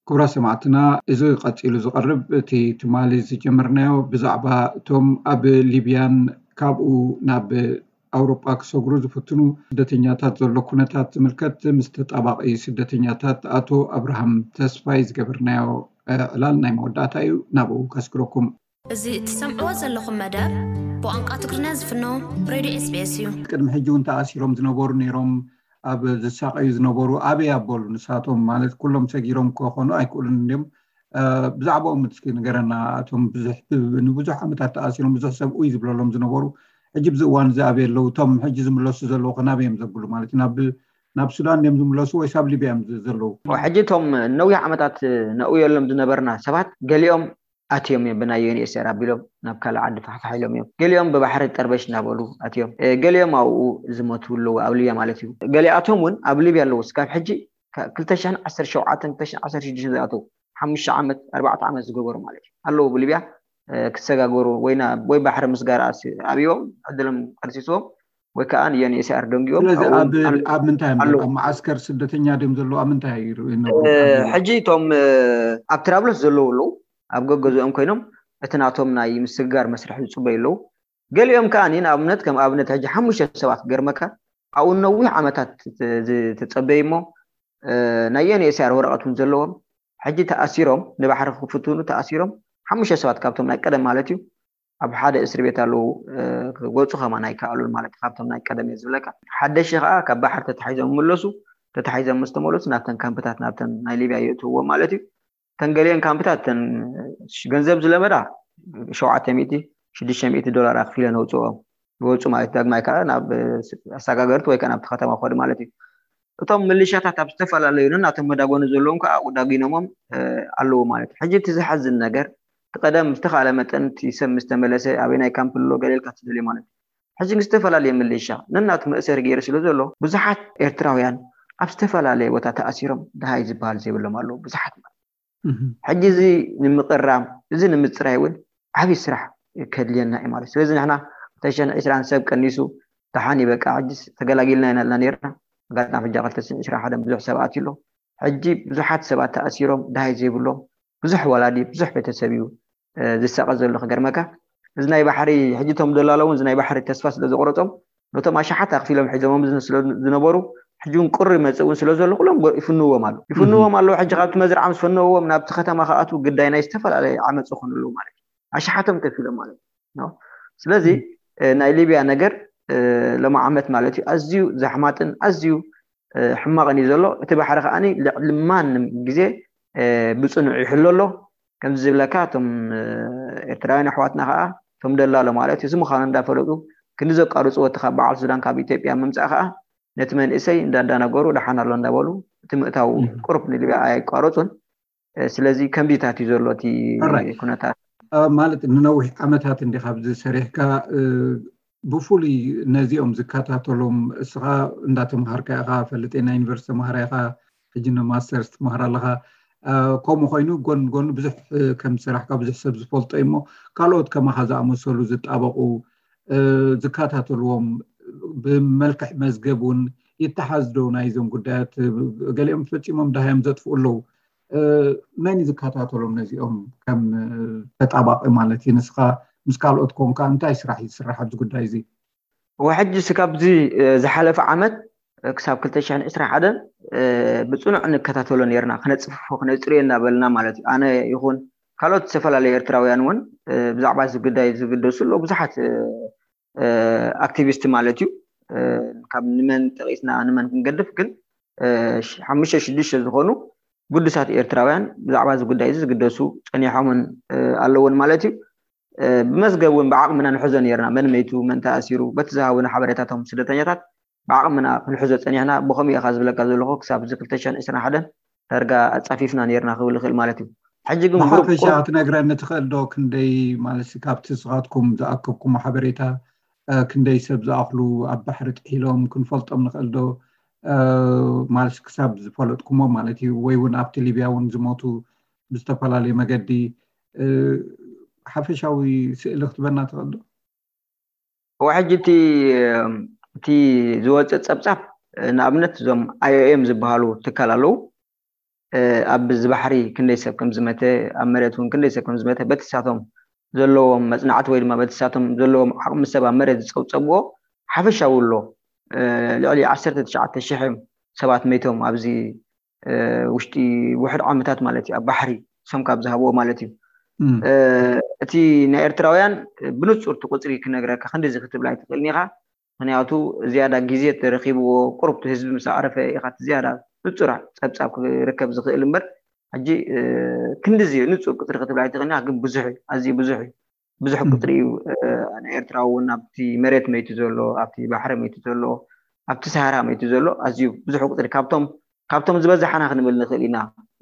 ክቡራት ሰማዕትና፣ እዚ ቀጺሉ ዝቐርብ እቲ ትማሊ ዝጀመርናዮ ብዛዕባ እቶም ኣብ ሊብያን ካብኡ ናብ ኣውሮጳ ክሰግሩ ዝፍትኑ ስደተኛታት ዘሎ ኩነታት ዝምልከት ምስ ተጣባቒ ስደተኛታት ኣቶ ኣብርሃም ተስፋይ ዝገበርናዮ ዕላል ናይ መወዳእታ እዩ። ናብኡ ከስግረኩም። እዚ እትሰምዕዎ ዘለኹም መደብ ብቋንቋ ትግርኛ ዝፍኖ ሬድዮ ኤስቢኤስ እዩ። ቅድሚ ሕጂ እውን ተኣሲሮም ዝነበሩ ነይሮም፣ ኣብ ዝሳቐዩ ዝነበሩ ኣበይ ኣበሉ? ንሳቶም ማለት ኩሎም ሰጊሮም ክኾኑ ኣይክእሉን እንዲም። ብዛዕባኦም እስኪ ንገረና። እቶም ብዙሕ ንብዙሕ ዓመታት ተኣሲሮም ብዙሕ ሰብ ኡይ ዝብለሎም ዝነበሩ ሕጂ ብዚ እዋን እዚ ኣበይ ኣለዉ? እቶም ሕጂ ዝምለሱ ዘለዉ ከ ናበይ እዮም ዘብሉ ማለት እዩ? ናብ ናብ ሱዳን እዮም ዝምለሱ ወይስ ኣብ ሊብያ እዮም ዘለዉ? ሕጂ እቶም ነዊሕ ዓመታት ነእውየሎም ዝነበርና ሰባት ገሊኦም ኣትዮም እዮም ብናይ ዩኤንኤችሲኣር ኣቢሎም ናብ ካልእ ዓዲ ፋሕፋሕ ኢሎም እዮም። ገሊኦም ብባሕሪ ጠርበሽ እናበሉ ኣትዮም። ገሊኦም ኣብኡ ዝሞቱ ኣለዉ ኣብ ሊብያ ማለት እዩ። ገሊኣቶም እውን ኣብ ሊብያ ኣለዉ። ስካብ ሕጂ ክልተ ሽሕን ዓሰርተ ሸውዓተን ክልተ ሽሕን ዓሰርተ ሽዱሽተን ዝኣተዉ ሓሙሽተ ዓመት ኣርባዕተ ዓመት ዝገበሩ ማለት እዩ ኣለዉ ብሊብያ ክሰጋገሩ ወይ ባሕሪ ምስጋር ኣብዮም ዕድሎም ቀርሲስዎም ወይ ከዓ ንዩኤንኤችሲኣር ደንጊኦም። ስለዚ ኣብ ኣብ ምንታይ እዮም ዘለዉ? ኣብ መዓስከር ስደተኛ ድዮም ዘለዉ? ኣብ ምንታይ ይነብሩ? ሕጂ እቶም ኣብ ትራብሎስ ዘለዉ ኣለዉ ኣብ ገገዝኦም ኮይኖም እቲ ናቶም ናይ ምስግጋር መስርሕ ዝፅበዩ ኣለዉ። ገሊኦም ከዓ ንኣብነት ከም ኣብነት ሕጂ ሓሙሽተ ሰባት ገርመካ ኣብኡ ነዊሕ ዓመታት ዝተፀበዩ እሞ ናይ ዩኤንኤችሲኣር ወረቐት እውን ዘለዎም ሕጂ ተኣሲሮም ንባሕሪ ክፍትኑ ተኣሲሮም ሓሙሽተ ሰባት ካብቶም ናይ ቀደም ማለት እዩ ኣብ ሓደ እስር ቤት ኣለዉ ክወፁ ከማን ኣይከኣሉን ማለት ካብቶም ናይ ቀደም እየ ዝብለካ። ሓደሽቲ ከዓ ካብ ባሕሪ ተታሒዞም ይምለሱ። ተታሒዞም ምስ ተመለሱ ናብተን ካምፕታት ናብተን ናይ ሊብያ የእትውዎ ማለት እዩ። ተን ገሊአን ካምፕታት ተን ገንዘብ ዝለመዳ ሸውዓተ ሚእቲ ሽዱሽተ ሚእቲ ዶላር ኣኽፊለን ኣውፅኦም ይወፁ ማለት እዩ። ዳግማይ ከዓ ናብ ኣሰጋገርቲ ወይ ከዓ ናብቲ ከተማ ክኸዱ ማለት እዩ። እቶም ምልሻታት ኣብ ዝተፈላለዩ ነናቶም መዳጎኒ ዘለዎም ከዓ ኣብኡ ዳጒኖሞም ኣለዉ ማለት እዩ። ሕጂ እቲ ዝሓዝን ነገር እቲ ቀደም ብዝተኻእለ መጠን እቲ ሰብ ምስ ተመለሰ ኣበይ ናይ ካምፕ ኣሎ ገለ ኢልካ ትደልዮ ማለት እዩ። ሕጂ ግን ዝተፈላለየ ምልሻ ነናቱ መእሰሪ ገይሩ ስለ ዘሎ ብዙሓት ኤርትራውያን ኣብ ዝተፈላለየ ቦታ ተኣሲሮም ደሃይ ዝበሃል ዘይብሎም ኣለዉ ብዙሓት ማለት እዩ። ሕጂ እዚ ንምቕራም እዚ ንምፅራይ እውን ዓብዪ ስራሕ ከድልየና እዩ ማለት እዩ። ስለዚ ንሕና ክልተ ሽሕን ዕስራን ሰብ ቀኒሱ ደሓን እዩ በቃ ሕጂ ተገላጊልና ኢና ኢልና ነይርና። ኣጋጣሚ ሕጂ ክልተ ሽሕን ዕስራን ሓደን ብዙሕ ሰብ ኣትዩ ኣሎ። ሕጂ ብዙሓት ሰባት ተኣሲሮም ደሃይ ዘይብሎም ብዙሕ ወላዲ ብዙሕ ቤተሰብ እዩ ዝሳቐ ዘሎ። ክገርመካ እዚ ናይ ባሕሪ ሕጂ እቶም ደላሎ እውን እዚ ናይ ባሕሪ ተስፋ ስለ ዘቑረፆም ነቶም ኣሽሓት ኣኽፊሎም ሒዞሞም ዝነበሩ ሕጂ እውን ቁሪ መፅእ እውን ስለ ዘሎ ኩሎም ይፍንዎም ኣሎ ይፍንዎም ኣለዉ። ሕጂ ካብቲ መዝርዓ ምስ ፈነዎም ናብቲ ከተማ ክኣትዉ ግዳይ ናይ ዝተፈላለየ ዓመፅ ይኾኑ ኣለዉ ማለት እዩ። ኣሽሓቶም ከፊሎም ማለት እዩ። ስለዚ ናይ ሊብያ ነገር ሎሚ ዓመት ማለት እዩ ኣዝዩ ዘሕማጥን ኣዝዩ ሕማቕን እዩ ዘሎ። እቲ ባሕሪ ከዓኒ ልዕሊ ማንም ግዜ ብፅኑዕ ይሕሎ ኣሎ። ከምዚ ዝብለካ እቶም ኤርትራውያን ኣሕዋትና ከዓ እቶም ደላሎ ማለት እዩ እዚ ምዃኑ እንዳፈለጡ ክንዲ ዘቋርፅዎ እቲ ካብ በዓል ሱዳን ካብ ኢትዮጵያ ምምፃእ ከዓ ነቲ መንእሰይ እንዳዳነገሩ ደሓን ኣሎ እንዳበሉ እቲ ምእታው ቁሩብ ንሊብያ ኣየቋረፁን። ስለዚ ከምዚታት እዩ ዘሎ እቲ ኩነታት። ማለት ንነዊሕ ዓመታት እንዲ ካብዚ ሰሪሕካ ብፍሉይ ነዚኦም ዝከታተሎም እስኻ እንዳተምሃርካ ኢኻ ፈልጥ ናይ ዩኒቨርሲቲ ተምሃራ ኢኻ ሕጂ ንማስተርስ ትምሃር ኣለኻ። ከምኡ ኮይኑ ጎን ጎን ብዙሕ ከም ዝሰራሕካ ብዙሕ ሰብ ዝፈልጦ እዩ እሞ ካልኦት ከማኻ ዝኣመሰሉ ዝጣበቑ ዝከታተልዎም ብመልክዕ መዝገብ እውን ይተሓዝ ዶ ናይዞም ጉዳያት? ገሊኦም ፈፂሞም ደሃዮም ዘጥፍኡ ኣለዉ። መን እዩ ዝከታተሎም ነዚኦም ከም ተጣባቂ ማለት እዩ? ንስኻ ምስ ካልኦት ኮንካ እንታይ ስራሕ እዩ ዝስራሕ ኣብዚ ጉዳይ እዚ? ወሕጂ ስካብዚ ዝሓለፈ ዓመት ክሳብ ክልተ ሽሕን ዕስራን ሓደን ብፅኑዕ ንከታተሎ ነርና ክነፅፍፎ ክነፅርዮ እናበልና ማለት እዩ። ኣነ ይኹን ካልኦት ዝተፈላለዩ ኤርትራውያን እውን ብዛዕባ እዚ ጉዳይ ዝግደሱ ኣለዉ ብዙሓት ኣክቲቪስት ማለት እዩ። ካብ ንመን ጠቂስና ንመን ክንገድፍ ግን ሓሙሽተ ሽዱሽተ ዝኾኑ ግዱሳት ኤርትራውያን ብዛዕባ እዚ ጉዳይ እዚ ዝግደሱ ፀኒሖምን ኣለውን ማለት እዩ። ብመዝገብ እውን ብዓቕምና ንሕዞ ነርና መን መይቱ መን ተኣሲሩ በቲ ዝሃቡና ሓበሬታቶም ስደተኛታት ብዓቕምና ክንሕዞ ፀኒሕና። ብኸምኡ ኢኻ ዝብለካ ዘለኹ ክሳብ እዚ ክልተ ሽሕን ዕስራን ሓደን ዳርጋ ኣፃፊፍና ነርና ክብል ይኽእል ማለት እዩ። ሕጂ ግን ብሓፈሻ ክትነግረኒ ትኽእል ዶ ክንደይ ማለት ካብቲ ንስኻትኩም ዝኣከብኩሞ ሓበሬታ ክንደይ ሰብ ዝኣኽሉ ኣብ ባሕሪ ጥሒሎም ክንፈልጦም ንኽእል ዶ? ማለት ክሳብ ዝፈለጥኩሞ ማለት እዩ ወይ እውን ኣብቲ ሊብያ እውን ዝሞቱ ብዝተፈላለዩ መገዲ ሓፈሻዊ ስእሊ ክትበና ትኽእል ዶ? ሕጂ እቲ ዝወፅእ ፀብፃብ ንኣብነት እዞም ኣይኦኤም ዝበሃሉ ትካል ኣለዉ። ኣብ ዝባሕሪ ክንደይ ሰብ ከም ዝመተ፣ ኣብ መሬት እውን ክንደይ ሰብ ከም ዝመተ በትሳቶም ዘለዎም መፅናዕቲ ወይ ድማ በትሳቶም ዘለዎም ዓቕሚ ሰብ ኣብ መሬት ዝፀብፀብዎ ሓፈሻዊ ኣሎ። ልዕሊ ዓሰርተ ትሽዓተ ሽሕ ሰባት መይቶም ኣብዚ ውሽጢ ውሕድ ዓመታት ማለት እዩ፣ ኣብ ባሕሪ ሶም ካብ ዝሃብዎ ማለት እዩ። እቲ ናይ ኤርትራውያን ብንጹር እቲ ቁጽሪ ክነግረካ ክንዲዚ ክትብል ኣይትኽእልን ኢኻ። ምክንያቱ ዝያዳ ግዜ ተረኺብዎ፣ ቁሩብ ህዝቢ ምስ ኣዕረፈ ኢኻ እቲ ዝያዳ ንጹር ጸብጻብ ክርከብ ዝኽእል እምበር፣ ሕጂ ክንዲዚ ንጹር ቁጽሪ ክትብል ኣይትኽእልን ኢኻ። ግን ብዙሕ እዩ፣ ኣዝዩ ብዙሕ እዩ። ብዙሕ ቁጽሪ እዩ። ናይ ኤርትራ እውን ኣብቲ መሬት መይቱ ዘሎ፣ ኣብቲ ባሕሪ መይቱ ዘሎ፣ ኣብቲ ሰሃራ መይቱ ዘሎ ኣዝዩ ብዙሕ ቁጽሪ ካብቶም ካብቶም ዝበዛሓና ክንብል ንኽእል ኢና።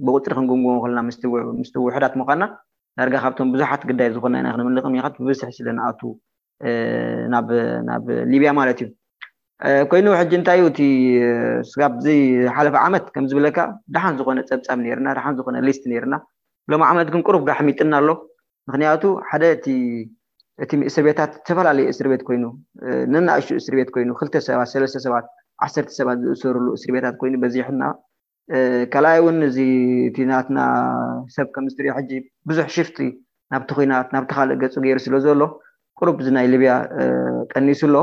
ብቁጽሪ ክንግምግሞ ከለና ምስቲ ውሕዳት ምዃንና ዳርጋ ካብቶም ብዙሓት ግዳይ ዝኾንና ኢና ክንብል ንኽእል። ምክንያቱ ብብዝሒ ስለ ንኣቱ ናብ ናብ ሊብያ ማለት እዩ። ኮይኑ ሕጂ እንታይ እዩ እቲ ስጋብ ዝሓለፈ ዓመት ከም ዝብለካ ደሓን ዝኾነ ጸብጻብ ነይርና፣ ደሓን ዝኾነ ሊስት ነይርና። ሎም ዓመት ግን ቁሩብ ጋሕሚጥና ኣሎ። ምክንያቱ ሓደ እቲ እቲ እስር ቤታት ዝተፈላለዩ እስር ቤት ኮይኑ፣ ነናእሽቱ እስር ቤት ኮይኑ፣ ክልተ ሰባት፣ ሰለስተ ሰባት፣ ዓሰርተ ሰባት ዝእሰሩሉ እስር ቤታት ኮይኑ በዚሕና። ካልኣይ እውን እዚ እቲ ናትና ሰብ ከም ዝትሪኦ ሕጂ ብዙሕ ሽፍቲ ናብቲ ኲናት ናብቲ ካልእ ገፁ ገይሩ ስለ ዘሎ ቁሩብ እዚ ናይ ሊብያ ቀኒሱ ኣሎ።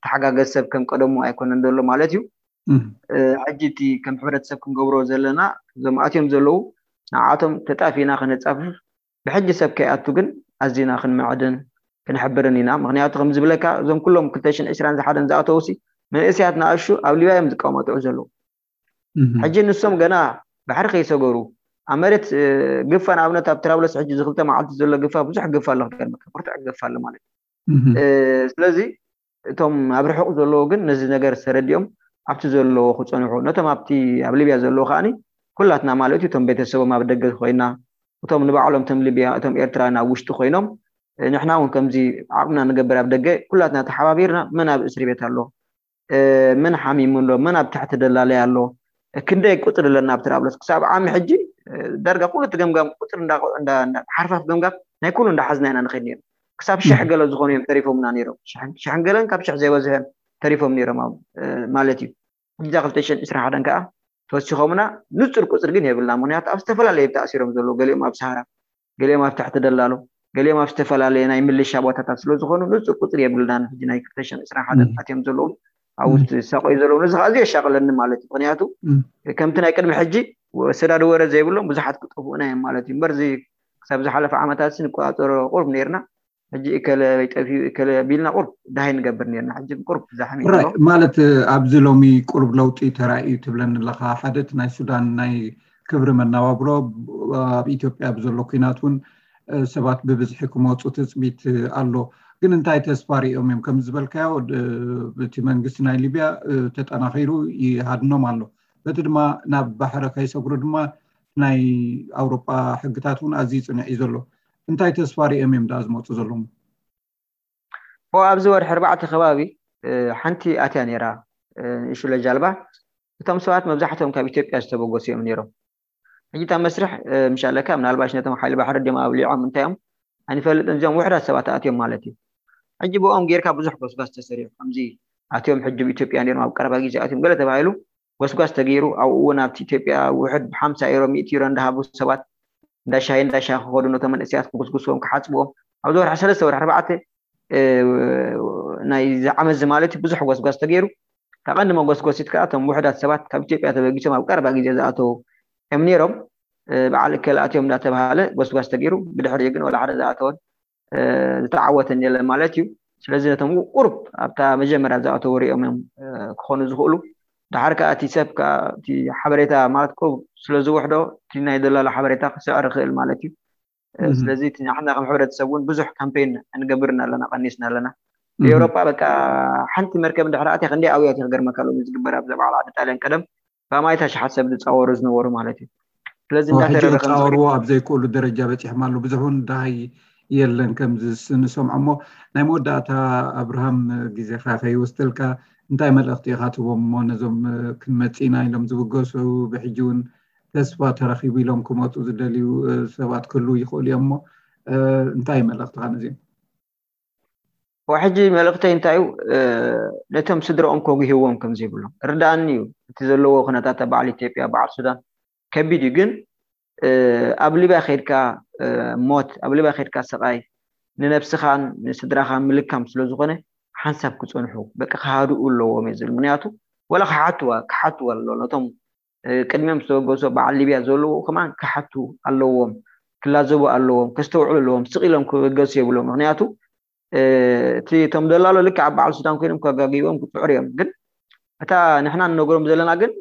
ተሓጋገዝ ሰብ ከም ቀደሙ ኣይኮነን ዘሎ ማለት እዩ። ሕጂ እቲ ከም ሕብረተሰብ ክንገብሮ ዘለና እዞም ኣትዮም ዘለዉ ንዓቶም ተጣፊና ከነፃፍፍ ብሕጂ ሰብ ከይኣቱ ግን ኣዚና ክንምዕድን ክንሕብርን ኢና። ምክንያቱ ከም ዝብለካ እዞም ኩሎም ክልተ ሽሕን ዕስራን ዝሓደን ዝኣተውሲ መንእሰያት ንኣሹ ኣብ ሊብያ እዮም ዝቀማጥዑ ዘለዉ። ሕጂ ንሶም ገና ባሕሪ ከይሰገሩ ኣብ መሬት ግፋ ንኣብነት ኣብ ትራብለስ ሕጂ ዝክልተ መዓልቲ ዘሎ ግፋ ብዙሕ ግፋ ኣሎ ክገርመካ ብርቱዕ ግፋ ኣሎ ማለት እዩ። ስለዚ እቶም ኣብ ርሑቕ ዘለዉ ግን ነዚ ነገር ተረዲኦም ኣብቲ ዘለዎ ክጸንሑ ነቶም ኣብቲ ኣብ ሊብያ ዘለዉ ከዓኒ ኩላትና ማለት እዩ እቶም ቤተሰቦም ኣብ ደገ ኮይና እቶም ንባዕሎም እቶም ሊብያ እቶም ኤርትራውያን ኣብ ውሽጢ ኮይኖም ንሕና እውን ከምዚ ዓቕምና ንገብር ኣብ ደገ ኩላትና ተሓባቢርና መን ኣብ እስሪ ቤት ኣሎ መን ሓሚሙ ኣሎ መን ኣብ ትሕቲ ደላለይ ኣሎ ክንደይ ቁፅሪ ኣለና ኣብ ትራብለስ ክሳብ ዓሚ ሕጂ ዳርጋ ኩሉ እቲ ገምጋም ቁፅሪ ሓርፋፍ ገምጋም ናይ ኩሉ እንዳሓዝና ኢና ንኸይድ ነይሩ ክሳብ ሽሕ ገለ ዝኾኑ እዮም ተሪፎምና ነይሮም ሽሕን ገለን ካብ ሽሕ ዘይበዝሐን ተሪፎም ነይሮም ማለት እዩ ሕጂ ክልተ ሽሕን ዕስራን ሓደን ከዓ ተወሲኾምና ንፁር ቁፅሪ ግን የብልና ምክንያቱ ኣብ ዝተፈላለዩ ተኣሲሮም ዘለዉ ገሊኦም ኣብ ሰሃራ ገሊኦም ኣብ ትሕቲ ደላሎ ገሊኦም ኣብ ዝተፈላለየ ናይ ምልሻ ቦታታት ስለ ዝኾኑ ንፁር ቁፅሪ የብልናን ሕጂ ናይ ክልተ ሽሕን ዕስራን ሓደን ኣትዮም ዘለዉ ኣብ ውሽጢ ዝሳቆዩ ዘለዉ ነዚ ከዓ ኣዝዩ የሻቅለኒ ማለት እዩ ምክንያቱ ከምቲ ናይ ቅድሚ ሕጂ ሰዳዲ ወረ ዘይብሎም ብዙሓት ክጠፍኡና እዮም ማለት እዩ እምበር እዚ ክሳብ ዝሓለፈ ዓመታት ንቆፃፀሮ ቁሩብ ነይርና ሕጂ እከለ ወይ ጠፊኡ እከለ ቢልና ቁሩብ ደሃይ ንገብር ነርና ሕጂ ቁሩብ ዛሕሚ ራይ ማለት ኣብዚ ሎሚ ቁሩብ ለውጢ ተራእዩ ትብለኒ ኣለኻ ሓደ እቲ ናይ ሱዳን ናይ ክብሪ መናባብሮ ኣብ ኢትዮጵያ ብዘሎ ኩናት እውን ሰባት ብብዝሒ ክመፁ ትፅቢት ኣሎ ግን እንታይ ተስፋ ሪኦም እዮም ከም ዝበልካዮ እቲ መንግስቲ ናይ ሊብያ ተጠናኺሩ ይሃድኖም ኣሎ በቲ ድማ ናብ ባሕሪ ከይሰግሩ ድማ ናይ ኣውሮጳ ሕግታት እውን ኣዝዩ ፅንዕ እዩ ዘሎ እንታይ ተስፋ ሪኦም እዮም ደኣ ዝመፁ ዘለዉ ኦ ኣብዚ ወርሒ ኣርባዕተ ከባቢ ሓንቲ ኣትያ ነይራ ንእሽለ ጃልባ እቶም ሰባት መብዛሕትኦም ካብ ኢትዮጵያ ዝተበገሱ እዮም ነይሮም ሕጂ እታ መስርሕ ምሻለካ ምናልባሽ ነቶም ሓይሊ ባሕሪ ድዮም ኣብሊዖም እንታይ እዮም ኣይንፈልጥን እዚኦም ውሕዳት ሰባት ኣትዮም ማለት እዩ ሕጂ ብኦም ጌርካ ብዙሕ ጎስጓስ ተሰሪሑ ከምዚ ኣትዮም ሕጂ ኢትዮጵያ ነይሮም ኣብ ቀረባ ግዜ ኣትዮም ገለ ተባሂሉ ጎስጓስ ተገይሩ ኣብኡ እውን ኣብቲ ኢትዮጵያ ውሕድ ብሓምሳ ዩሮ ሚእቲ ዩሮ እንዳሃቡ ሰባት እንዳሻሂ እንዳሻሂ ክኸዱ ነቶም መንእሰያት ክጉስጉስዎም ክሓፅብዎም ኣብዚ ወርሒ ሰለስተ ወርሒ ኣርባዕተ ናይ ዝዓመት እዚ ማለት እዩ ብዙሕ ጎስጓስ ተገይሩ ካብ ቀንዲ መጎስጎሲት ከዓ እቶም ውሕዳት ሰባት ካብ ኢትዮጵያ ተበጊሶም ኣብ ቀረባ ግዜ ዝኣተው እዮም ነይሮም በዓል እከለ ኣትዮም እንዳተባሃለ ጎስጓስ ተገይሩ ብድሕሪኡ ግን ወላ ሓደ ዝኣተወን ዝተዓወተን የለን ማለት እዩ ስለዚ ነቶም ቁሩብ ኣብታ መጀመርያ ዝኣተው ሪኦም እዮም ክኾኑ ዝኽእሉ ድሓር ከዓ እቲ ሰብ ከዓ እቲ ሓበሬታ ማለት ቁሩብ ስለ ዝውሕዶ እቲ ናይ ደላሎ ሓበሬታ ክስዕር ይኽእል ማለት እዩ ስለዚ እቲ ንሕና ከም ሕብረተሰብ እውን ብዙሕ ካምፔን ንገብርን ኣለና ቀኒስና ኣለና ብኤውሮጳ በቃ ሓንቲ መርከብ እንድሕር ኣትያ ክንደይ ኣውያት ክገርመካ ሎሚ ዝግበር ኣብዛ በዓል ዓዲ ጣልያን ቀደም ብኣማይት ኣሽሓት ሰብ ዝፃወሩ ዝነበሩ ማለት እዩ ስለዚ ሕጂ እንዳተረረ ከም ዝኽእል ክፃወርዎ ኣብ ዘይክእሉ ደረጃ በፂሖም ኣሎ ብዙሕ እውን ደሃይ የለን ከምዚ ንሰምዖ እሞ ናይ መወዳእታ ኣብርሃም ግዜኻ ከይወስደልካ እንታይ መልእኽቲ ኢኻ ትቦም እሞ ነዞም ክንመፅእ ኢና ኢሎም ዝብገሱ ብሕጂ እውን ተስፋ ተረኺቡ ኢሎም ክመፁ ዝደልዩ ሰባት ክህልዉ ይኽእሉ እዮም እሞ እንታይ መልእኽትኻ ነዚኦም ሕጂ መልእክተይ እንታይ እዩ? ነቶም ስድራኦም ከጉህዎም ከም ዘይብሎም ርዳእኒ እዩ። እቲ ዘለዎ ኩነታት በዓል ኢትዮጵያ፣ በዓል ሱዳን ከቢድ እዩ። ግን ኣብ ሊብያ ከድካ ሞት፣ ኣብ ሊብያ ከድካ ስቃይ ንነብስኻን ንስድራኻን ምልካም ስለዝኾነ ሓንሳብ ክፀንሑ በቃ ክሃድኡ ኣለዎም እየ ዝብል። ምክንያቱ ወላ ክሓትዋ ክሓትዋ ኣሎ ነቶም ቅድሚኦም ዝተበገሱ በዓል ሊብያ ዘለዉ ከማን ክሓቱ ኣለዎም፣ ክላዘቡ ኣለዎም፣ ከስተውዕሉ ኣለዎም። ስቕ ኢሎም ክበገሱ የብሎም። ምክንያቱ እቲ እቶም ደላሎ ልክዕ ኣብ በዓል ሱዳን ኮይኖም ከጋግይዎም ክፅዕሩ እዮም። ግን እታ ንሕና ንነግሮም ዘለና ግን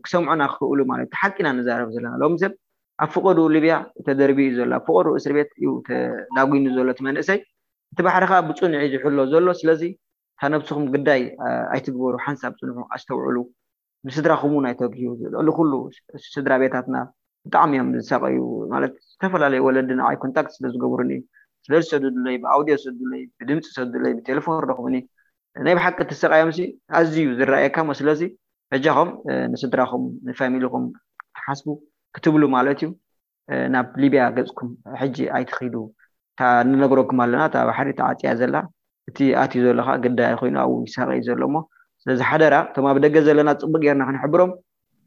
ክሰምዑና ክኽእሉ ማለት እቲ ሓቂና ንዛረብ ዘለና ሎም ሰብ ኣብ ፍቐዱ ሊብያ ተደርቢ እዩ ዘሎ፣ ኣብ ፍቐዱ እስር ቤት እዩ ተዳጉኑ ዘሎ እቲ መንእሰይ። እቲ ባሕሪ ከዓ ብፁንዕ እዩ ዝሕሎ ዘሎ። ስለዚ እታ ነብስኹም ግዳይ ኣይትግበሩ፣ ሓንሳብ ፅንሑ፣ ኣስተውዕሉ። ንስድራኹም እውን ኣይተግህዩ። ልዕሊ ኩሉ ስድራ ቤታትና ብጣዕሚ እዮም ዝሳቀዩ። ማለት ዝተፈላለዩ ወለዲ ንዓይ ኮንታክት ስለ ዝገብሩኒ፣ ስለ ዝሰዱለይ፣ ብኣውዲዮ ዝሰዱለይ፣ ብድምፂ ዝሰዱለይ፣ ብቴሌፎን ረኽቡኒ። ናይ ብሓቂ ትሰቃዮም ሲ ኣዝዩ ዝረኣየካ እሞ ስለዚ በጃኹም ንስድራኹም ንፋሚሊኹም ክትሓስቡ ክትብሉ ማለት እዩ። ናብ ሊብያ ገፅኩም ሕጂ ኣይትኺዱ። እታ ንነግረኩም ኣለና፣ እታ ባሕሪ ተዓፅያ ዘላ፣ እቲ ኣትዩ ዘሎ ከዓ ግዳይ ኮይኑ ኣብኡ ይሳቀ እዩ ዘሎ እሞ ስለዚ ሓደራ እቶም ኣብ ደገ ዘለና ፅቡቅ ጌርና ክንሕብሮም፣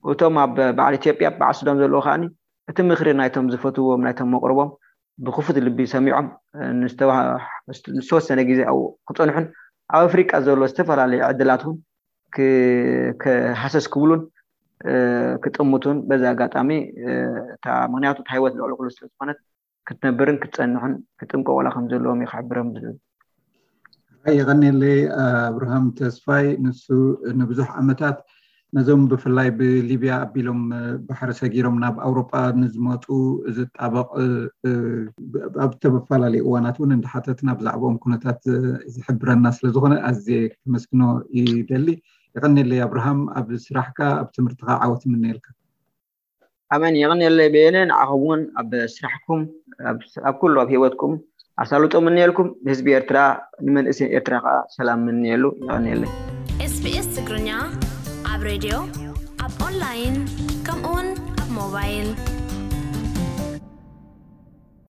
እቶም ኣብ በዓል ኢትዮጵያ በዓል ሱዳን ዘለዎ ከዓኒ እቲ ምክሪ ናይቶም ዝፈትዎም ናይቶም መቅርቦም ብክፉት ልቢ ሰሚዖም ንዝተወሰነ ግዜ ኣብኡ ክፀንሑን ኣብ ኣፍሪቃ ዘሎ ዝተፈላለዩ ዕድላት እውን ክሃሰስ ክብሉን ክጥምቱን በዚ ኣጋጣሚ እታ ምክንያቱ እታ ህይወት ልዕሊ ኩሉ ስለዝኮነት ክትነብርን ክትፀንሕን ክጥንቀቁላ ከም ዘለዎም እዩ ክሕብሮም ዝብል። የቀኒለይ ኣብርሃም ተስፋይ። ንሱ ንብዙሕ ዓመታት ነዞም ብፍላይ ብሊብያ ኣቢሎም ባሕሪ ሰጊሮም ናብ ኣውሮጳ ንዝመፁ ዝጣበቕ ኣብ ዝተፈላለዩ እዋናት እውን እንዳሓተትና ብዛዕባኦም ኩነታት ዝሕብረና ስለዝኾነ ኣዝየ ከመስግኖ ይደሊ። የቀኒለይ ኣብርሃም፣ ኣብ ስራሕካ ኣብ ትምህርትካ ዓወት ይምነየልካ። ኣመን። የቐንየለይ በየነ፣ ንዓኹም እውን ኣብ ስራሕኩም ኣብ ኩሉ ኣብ ህይወትኩም ኣሳልጦ ምንየልኩም። ንህዝቢ ኤርትራ ንመንእሰይ ኤርትራ ከዓ ሰላም ምንየሉ። የቐንየለይ። ኤስቢኤስ ትግርኛ ኣብ ሬድዮ ኣብ ኦንላይን ከምኡውን ኣብ ሞባይል